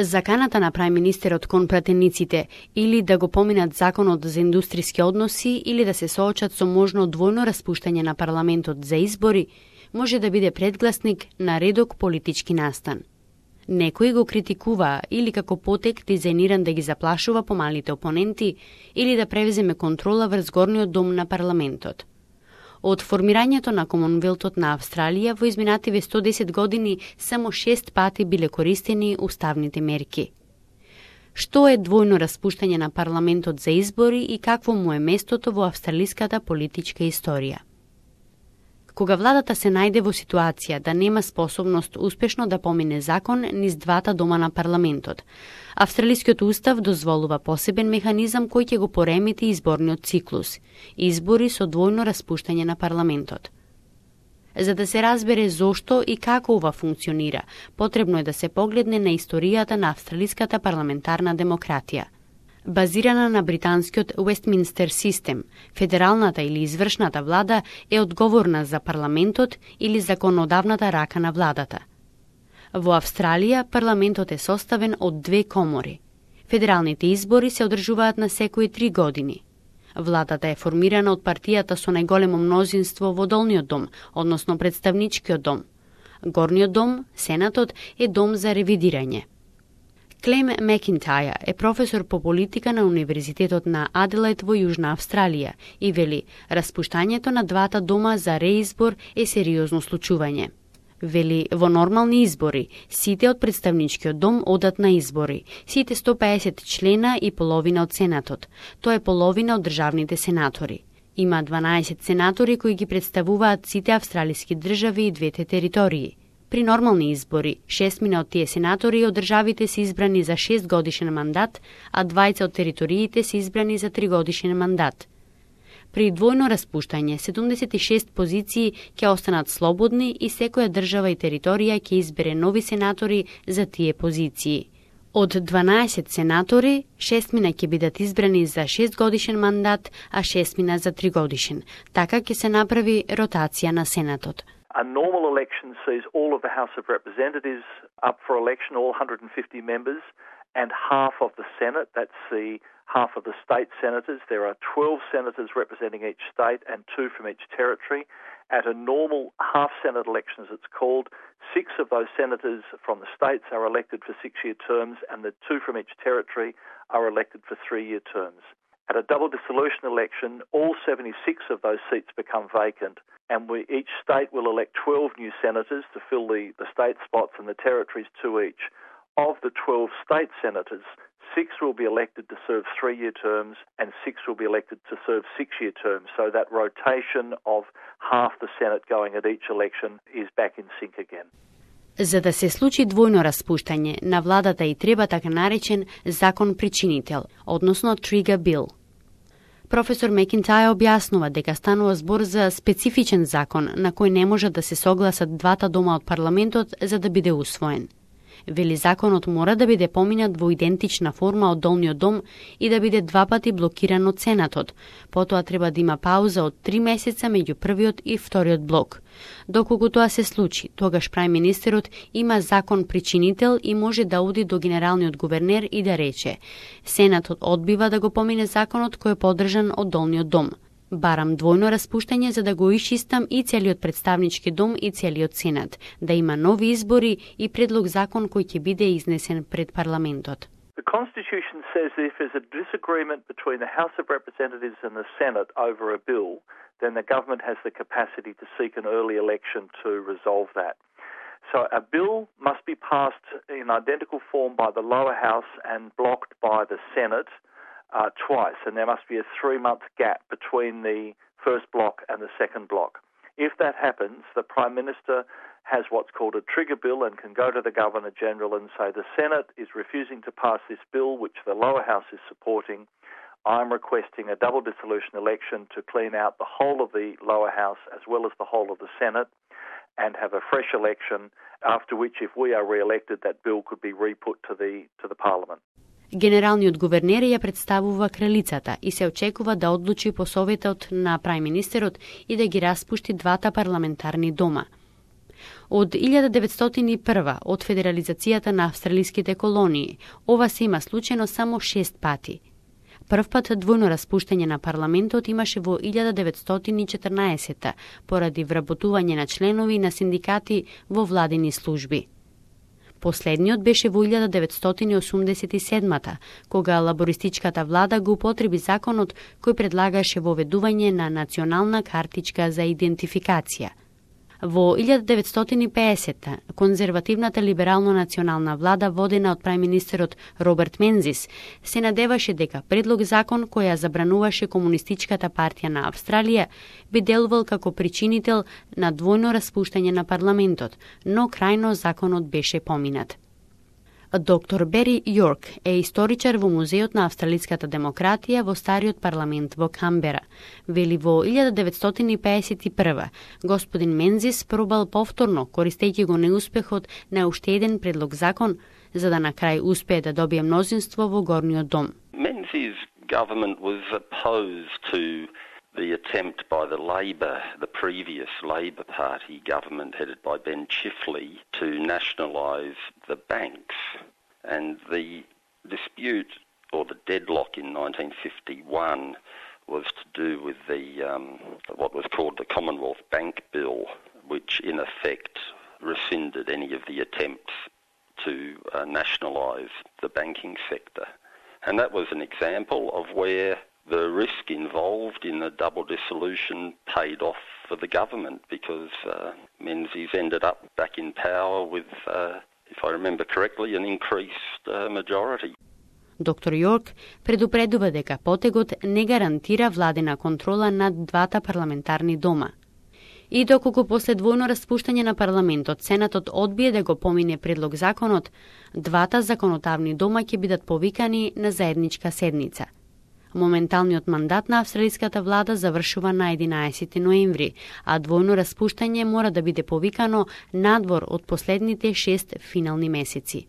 Заканата на прајминистерот кон пратениците или да го поминат законот за индустријски односи или да се соочат со можно двојно распуштање на парламентот за избори може да биде предгласник на редок политички настан. Некои го критикуваа или како потек дизајниран да ги заплашува помалите опоненти или да превземе контрола врз горниот дом на парламентот. Од формирањето на Комонвелтот на Австралија во изминативе 110 години само 6 пати биле користени уставните мерки. Што е двојно распуштање на парламентот за избори и какво му е местото во австралиската политичка историја? Кога владата се најде во ситуација да нема способност успешно да помине закон низ двата дома на парламентот, Австралискиот устав дозволува посебен механизам кој ќе го поремети изборниот циклус – избори со двојно распуштање на парламентот. За да се разбере зошто и како ова функционира, потребно е да се погледне на историјата на австралиската парламентарна демократија. Базирана на британскиот Westminster систем, федералната или извршната влада е одговорна за парламентот или законодавната рака на владата. Во Австралија парламентот е составен од две комори. Федералните избори се одржуваат на секои 3 години. Владата е формирана од партијата со најголемо мнозинство во долниот дом, односно представничкиот дом. Горниот дом, Сенатот, е дом за ревидирање. Клем Макинтајр е професор по политика на Универзитетот на Аделаид во Јужна Австралија и вели, распуштањето на двата дома за реизбор е сериозно случување. Вели, во нормални избори, сите од представничкиот дом одат на избори, сите 150 члена и половина од Сенатот, тоа е половина од државните сенатори. Има 12 сенатори кои ги представуваат сите австралиски држави и двете територии. При нормални избори, 6 од тие сенатори од државите се избрани за 6 годишен мандат, а 20 од териториите се избрани за 3 годишен мандат. При двојно распуштање, 76 позиции ќе останат слободни и секоја држава и територија ќе избере нови сенатори за тие позиции. Од 12 сенатори, 6 ќе бидат избрани за 6 годишен мандат, а 6 за 3 годишен. Така ќе се направи ротација на Сенатот. A normal election sees all of the House of Representatives up for election, all 150 members, and half of the Senate, that's the half of the state senators. There are 12 senators representing each state and 2 from each territory. At a normal half-Senate election, as it's called, 6 of those senators from the states are elected for 6-year terms, and the 2 from each territory are elected for 3-year terms. At a double dissolution election, all 76 of those seats become vacant, and each state will elect 12 new senators to fill the state spots and the territories 2 each. Of the 12 state senators, 6 will be elected to serve 3-year terms and 6 will be elected to serve 6-year terms. So that rotation of half the Senate going at each election is back in sync again. За да се случи двојно распуштање, на владата и треба така наречен закон причинител, односно trigger bill. Професор Макинтајр објаснува дека станува збор за специфичен закон на кој не може да се согласат двата дома од парламентот за да биде усвоен. Вели, законот мора да биде поминат во идентична форма од долниот дом и да биде 2 пати блокиран од Сенатот. Потоа треба да има пауза од 3 месеца меѓу првиот и вториот блок. Доколку тоа се случи, тогаш прајминистерот има закон причинител и може да оди до генералниот гувернер и да рече: Сенатот одбива да го помине законот кој е поддржан од долниот дом. Барам двојно распуштање за да го исчистам и целиот представнички дом и целиот Сенат, да има нови избори и предлог закон кој ќе биде изнесен пред парламентот. The Constitution says that if there's a disagreement between the House of Representatives and the Senate over a bill, then the government has the capacity to seek an early election to resolve that. So a bill must be passed in identical form by the lower house and blocked by the Senate twice, and there must be a 3-month gap between the first block and the second block. If that happens, the Prime Minister has what's called a trigger bill and can go to the Governor-General and say the Senate is refusing to pass this bill which the lower house is supporting. I'm requesting a double dissolution election to clean out the whole of the lower house as well as the whole of the Senate and have a fresh election, after which if we are re-elected that bill could be re-put to the Parliament. Генералниот гувернер ја представува кралицата и се очекува да одлучи по советот на прајминистерот и да ги распушти двата парламентарни дома. Од 1901 од федерализацијата на австралиските колонии, ова се има случајно само 6 пати. Прв пат двојно распуштање на парламентот имаше во 1914 поради вработување на членови на синдикати во владини служби. Последниот беше во 1987 кога лабористичката влада го употреби законот кој предлагаше воведување на национална картичка за идентификација. Во 1950 конзервативната либерално-национална влада водена од прајминистерот Роберт Мензис се надеваше дека предлог закон која забрануваше Комунистичката партија на Австралија би делувал како причинител на двојно распуштање на парламентот, но крајно законот беше поминат. Доктор Бери Йорк е историчар во Музеот на австралиската демократија во стариот парламент во Камбера. Вели во 1951 господин Мензис пробал повторно, користејќи го неуспехот на уште еден предлог закон, за да на крај успее да добие мнозинство во горниот дом. Menzies' government was opposed to the attempt by the previous Labor Party government headed by Ben Chifley to nationalise the banks. And the dispute, or the deadlock in 1951, was to do with what was called the Commonwealth Bank Bill, which in effect rescinded any of the attempts to nationalise the banking sector. And that was an example of where the risk involved in the double dissolution paid off for the government because Menzies ended up back in power with, if I remember correctly, an increased majority. Доктор Йорк предупредува дека потегот не гарантира владена контрола над двата парламентарни дома. И доколку после двојно распуштање на парламентот, Сенатот одбие да го помине предлог законот, двата законодавни дома ќе бидат повикани на заедничка седница. Моменталниот мандат на австралиската влада завршува на 11 ноември, а двојно распуштање мора да биде повикано надвор од последните 6 финални месеци.